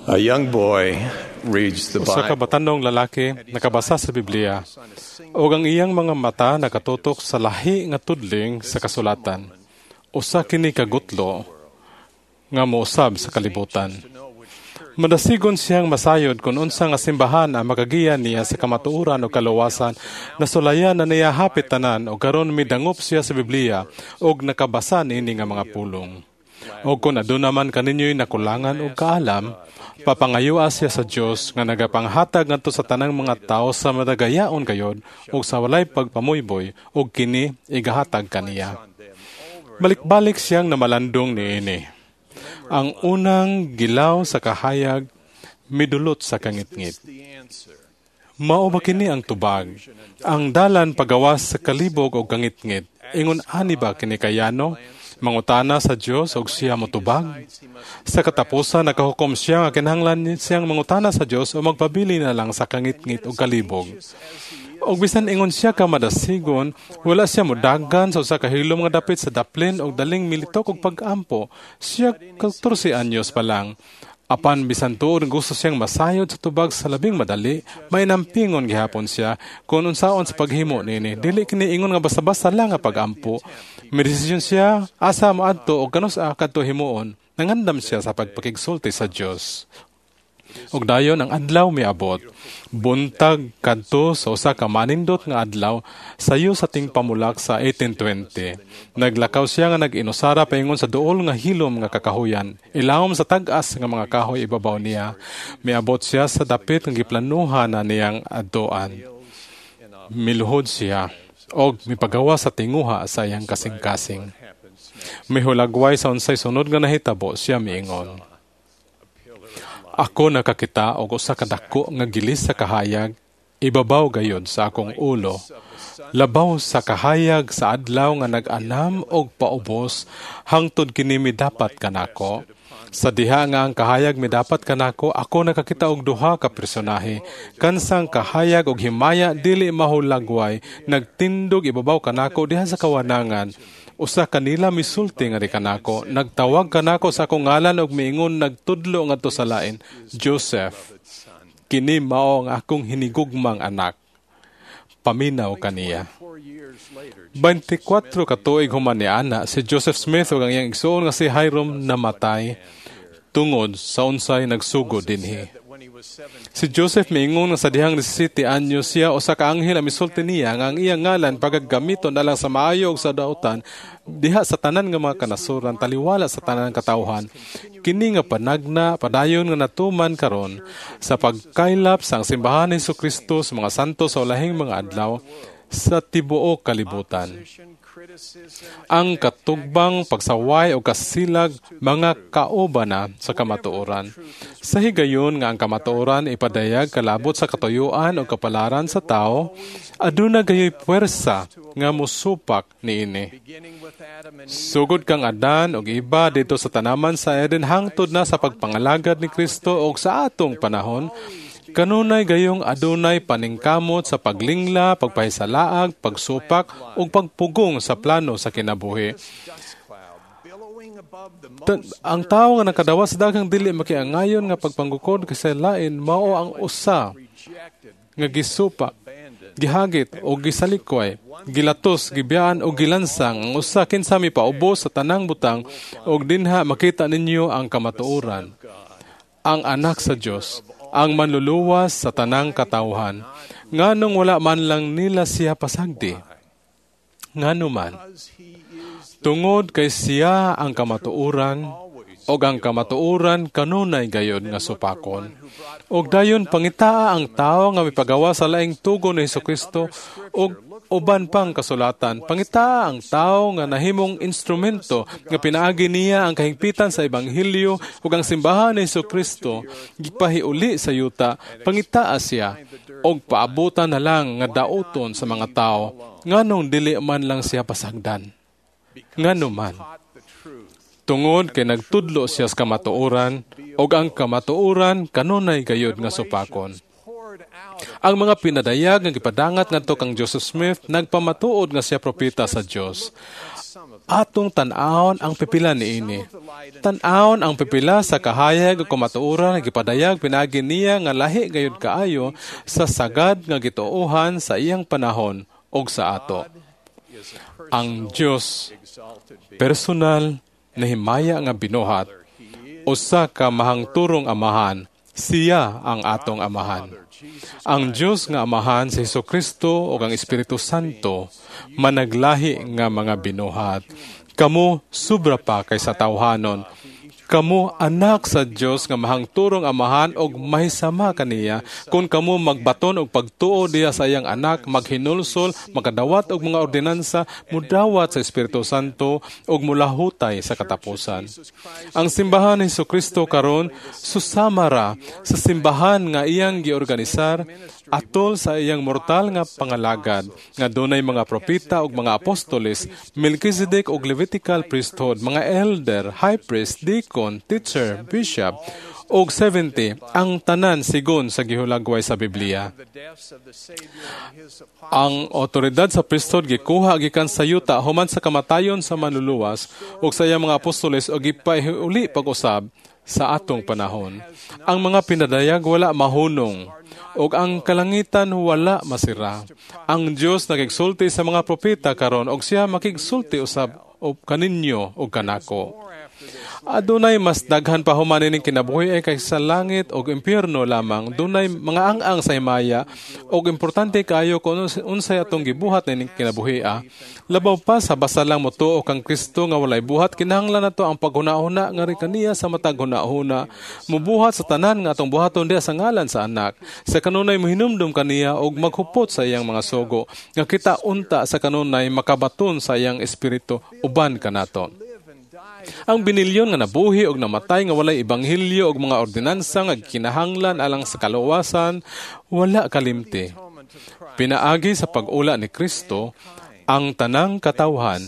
A young boy reads the Usa ka Bible. Batanong lalaki nakabasa sa Biblia ug ang iyang mga mata nakatutok sa lahi nga tudling sa kasulatan. Usa kini ka gutlo nga mousab sa kalibutan. Madasigon siyang masayod kung unsa nga simbahan ang makagiya niya sa kamatuoran o kaluwasan. Nasulayan na niya hapit tanan ug karon midangop siya sa Biblia ug nakabasa niini nga mga pulong. O kung aduna man kaninyo'y nakulangan og kaalam, papangayoa siya sa Dios nga nagapanghatag ngadto sa tanang mga tawo sa madagayaon gayod ug sa walay pagpamuyboy, ug kini igahatag kaniya. Balik-balik siyang namalandong niini. Ang unang gilaw sa kahayag midulot sa kangitngit. Mao ba kini ang tubag? Ang dalan pagawas sa kalibog o kangitngit. Ingon ani ba kini kayano? Mangutana sa Dios og siya motubag? Sa katapusan, nakahukom siya nga kinahanglan siyang mangutana sa Dios o magpabili na lang sa kangitngit o kalibog. Og bisan ingon siya ka madasigon, wala siya modagan sa usa ka hilom nga dapit sa daplin og daling militok og pag-ampo. Siya 14 anyos pa lang. Apan bisan tuod gusto siyang masayod sa tubag sa labing madali, may nampingon gihapon siya kung unsaon sa paghimo niini. Dili kini ingon nga basta-basta lang nga pag-ampo. May desisyon siya asa moadto og kanus-a kadto himuon. Nangandam siya sa pagpakigsulti sa Dios. Ug dayon ang adlaw miabot. Buntag kadto sa usa ka manindot nga adlaw sayo sa tingpamulak sa 1820. Naglakaw siya nga nag-inusara paingon sa duol nga hilom nga kakahuyan. Ilawom sa tag-as nga mga kahoy ibabaw niya. Miabot siya sa dapit nga giplanuhan na niyang adtoan. Miluhod siya og mipagawa sa tinguha sa iyang kasing-kasing. Mihulagway sa unsay sunod nga nahitabo, siya miingon, "Ako nakakita og usa ka dako nga gilis sa kahayag ibabaw gayod sa akong ulo. Labaw sa kahayag sa adlaw nga nag-anam og paubos hangtod kini midapat kanako. Sa diha nga ang kahayag midapat kanako, ako nakakita og duha ka personahe. Kansang kahayag og himaya dili mahulagway, nagtindog ibabaw kanako diha sa kawanangan. Usa kanila misulti nga di kanako, nagtawag kanako sa akong ngalan og miingon nagtudlo ngadto sa lain, 'Joseph, kini mao ang akong hinigugmang anak. Paminaw kaniya.'" 24 ka tuig human ni ana, si Joseph Smith ug ang iyang igsuon nga si Hyrum namatay tungod sa unsay nagsugod dinhi. Si Joseph miingon nga sa dihang 17 anyos siya, usa ka anghel ang misulti niya nga ang iyang ngalan pagagamiton alang sa maayo ug sa dautan diha sa tanan nga mga kanasuran, taliwala sa tanan katawhan. Kini nga panagna padayon nga natuman karon sa pagkaylap sa ang simbahan ni Kristo sa mga santo sa ulahing mga adlaw sa tibuok kalibutan. Ang katugbang, pagsaway o kasilag mga kauban na sa kamatuoran. Sa higayon nga ang kamatuoran ipadayag kalabot sa katuyuan o kapalaran sa tao, aduna gayoy puwersa nga musupak niini. Sugod kang Adan og Eva didto sa tanaman sa Eden hangtod na sa pagpangalagad ni Kristo og sa atong panahon, kanunay gayong adunay paningkamot sa paglingla, pagpahisalaag, pagsupak ug pagpugong sa plano sa kinabuhi. Ang tawo nga nakadawa sa daghang dili makiangayon nga pagpanggukod kay lain mao ang usa nga gisupa, gihagit o gisalikway, gilatos, gibiyaan o gilansang, ang usa kinsa mipaubos sa tanang butang, og dinha makita ninyo ang kamatuoran. Ang anak sa Dios, ang manluluwas sa tanang katawhan. Nganong wala man lang nila siya pasagdi? Ngano man? Tungod kay siya ang kamatuoran, og ang kamatuoran kanunay gayod nga supakon. Og dayon pangitaa ang tawo nga mipagawa sa laing tugon ni Hesukristo og uban pang kasulatan. Pangitaa ang tawo nga nahimong instrumento nga pinaagi niya ang kahingpitan sa ebanghelyo ug ang simbahan ni Hesukristo gipahiuli sa yuta. Pangitaa siya og paabutan na lang nga dauton sa mga tawo. Nganong dili man lang siya pasagdan? Ngano man? Tungod kay nagtudlo siya sa kamatuoran, ug ang kamatuoran kanunay gayod nga supakon. Ang mga pinadayag nga gipadangat ngadto kang Joseph Smith nagpamatuod nga siya propeta sa Dios. Atong tan-awon ang pipila niini. Tan-awon ang pipila sa kahayag ug kamatuoran nga gipadayag pinaagi niya nga lahi gayud kaayo sa sagad nga gituohan sa iyang panahon ug sa ato. Ang Dios, personal na himaya nga binuhat, usa ka mahangturong Amahan, siya ang atong Amahan. Ang Dios nga Amahan, si Hesukristo ug ang Espiritu Santo managlahi nga mga binuhat. Kamo sobra pa kaysa tawhanon. Kamo anak sa Dios nga mahangturong Amahan og mahisama kaniya kung kamo magbaton og pagtuo diha sa iyang Anak, maghinulsol, makadawat og mga ordinansa, mudawat sa Espiritu Santo ug mulahutay sa katapusan. Ang simbahan ni Hesukristo karon susama ra sa simbahan nga iyang giorganisar atol sa iyang mortal nga pangalagad nga dunay mga propeta ug mga apostoles, Melchizedek ug Levitical priesthood, mga elder, high priest, deacon, teacher, bishop, ug 70, ang tanan sigon sa gihulagway sa Biblia. Ang otoridad sa priesthood gikuha gikan sa yuta human sa kamatayon sa Manluluwas ug sa iyang mga apostoles ug gipahiuli pag-usab sa atong panahon. Ang mga pinadayag wala mahunong ug ang kalangitan wala masira. Ang Dios nagigsulti sa mga propeta karon ug siya makigsulti usab og kaninyo ug kanako. Adunay mas daghan pa human ining kinabuhi ay kaysa sa langit og impyerno lamang. Dunay mga ang-ang sa himaya og importante kaayo kung unsay atong gibuhat nining kinabuhi. Labaw pa sa basta lang motuo kang Kristo nga walay buhat, kinahanglan nato ang paghuna-huna nga ri kaniya sa matag huna-huna. Mubuhat sa tanan nga atong buhaton diha sa ngalan sa Anak. Sa kanunay mohinumdum kaniya og maghupot sa iyang mga sugo nga kita unta sa kanunay makabaton sa iyang Espiritu uban kanato. Ang binilyon nga nabuhi og namatay nga walay ebanghelyo og mga ordinansa nga kinahanglan alang sa kaluwasan, wala kalimti. Pinaagi sa pag-ula ni Kristo, ang tanang katawhan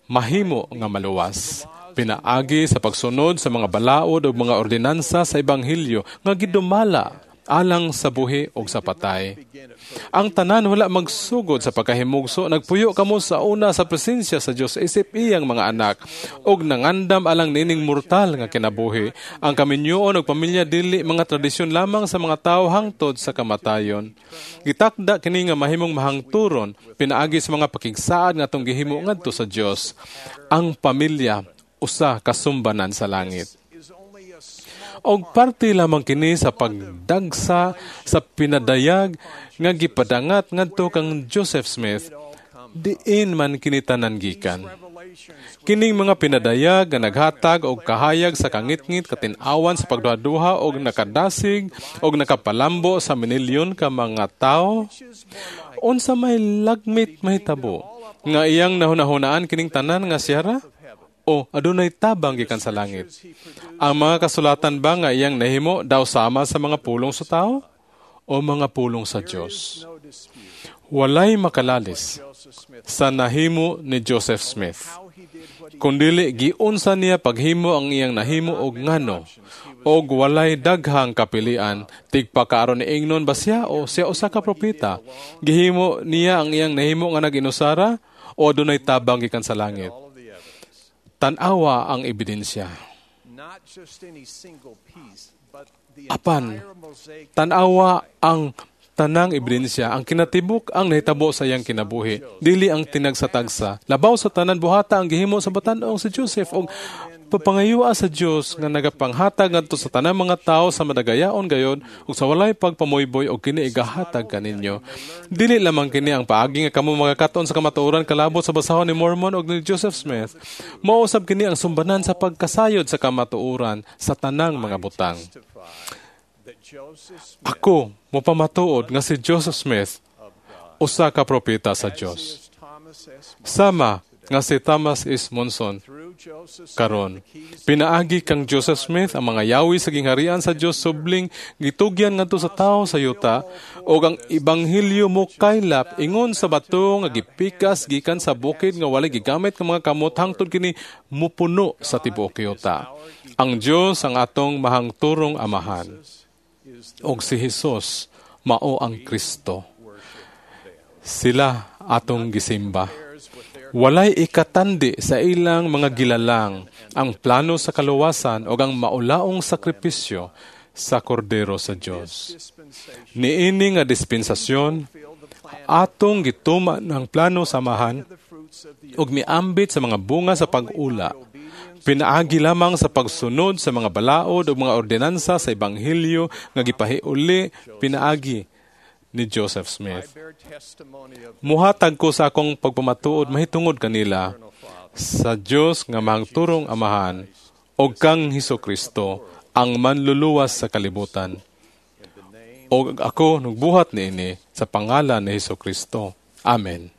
mahimo nga maluwas. Pinaagi sa pagsunod sa mga balaod ug mga ordinansa sa ebanghelyo nga gidumala alang sa buhi ug sa patay. Ang tanan wala magsugod sa pagkahimugso, nagpuyo kamo sa una sa presensya sa Dios isip iyang mga anak ug nangandam alang nining mortal nga kinabuhi. Ang kaminyoon ug pamilya dili mga tradisyon lamang sa mga tawo hangtod sa kamatayon. Gitakda kini nga mahimong mahangturon pinaagi sa mga pakigsaad nga atong gihimo ngadto sa Dios. Ang pamilya usa ka sumbanan sa langit. Og parte lamang kini sa pagdagsa sa pinadayag nga gipadangat ngadto kang Joseph Smith, diin man kini tanan gikan. Kining mga pinadayag nga naghatag og kahayag sa kangitngit katin-awan sa pagduha-duha og nakadasig og nakapalambo sa minilyon ka mga tawo, unsa may lagmit mahitabo nga iyang nahunahunaan kining tanan nga siyara o adunay tabang gikan sa langit? Ang mga kasulatan ba nga iyang nahimo daw sama sa mga pulong sa tao o mga pulong sa Dios? Walay makalalis sa nahimo ni Joseph Smith. Kundili giunsa niya paghimo ang iyang nahimo og ngano, og walay daghang kapilian tigpakaaron ni ingnon ba siya o siya usa ka propeta. Gihimo niya ang iyang nahimo nga nag-inusara o adunay tabang gikan sa langit? Tan-awa ang ebidensya. Apan, tan-awa ang tanang ebidensya, ang kinatibuk ang nahitabo sa iyang kinabuhi, dili ang tinagsatagsa. Labaw sa tanan, buhata ang gihimo sa batan-ong si Joseph og papangayua sa Dios nga nagapanghatag ngadto sa tanang mga tawo sa madagayaon gayon ug sa walay pagpamuyboy og kini igahatag kaninyo. Dili lamang kini ang paagi nga kamo makakaton sa kamatuoran kalabot sa basahon ni Mormon og ni Joseph Smith. Mao usab kini ang sumbanan sa pagkasayod sa kamatuoran sa tanang mga butang. Ako mopamatuod nga si Joseph Smith usa ka propeta sa Dios. Sama nga si Thomas S. Monson karon. Pinaagi kang Joseph Smith ang mga yawi sa gingharian sa Dios subling gitugyan ngadto sa tawo sa yuta ug ang ebanghelyo mo kaylap ingon sa bato nga gipikas gikan sa bukid nga walay gigamit nga mga kamot hangtod kini mupuno sa tibuok yuta. Ang Dios ang atong mahangturong Amahan ug si Hesus mao ang Kristo. Sila atong gisimba. Walay ikatandi sa ilang mga gilalang ang plano sa kaluwasan o ang maulaong sakripisyo sa Kordero sa Dios. Niini nga dispensasyon, atong gituman ang plano sa Amahan ug miambit sa mga bunga sa pag-ula. Pinaagi lamang sa pagsunod sa mga balaod ug mga ordinansa sa ebanghelyo nga gipahiuli pinaagi ni Joseph Smith. Muhatag ko sa akong pagpamatuod mahitungod kanila sa Dios nga mahangturong Amahan ug kang Hesus Kristo, ang manluluwas sa kalibutan. Og ako nagbuhat niini sa pangalan ni Hesus Kristo. Amen.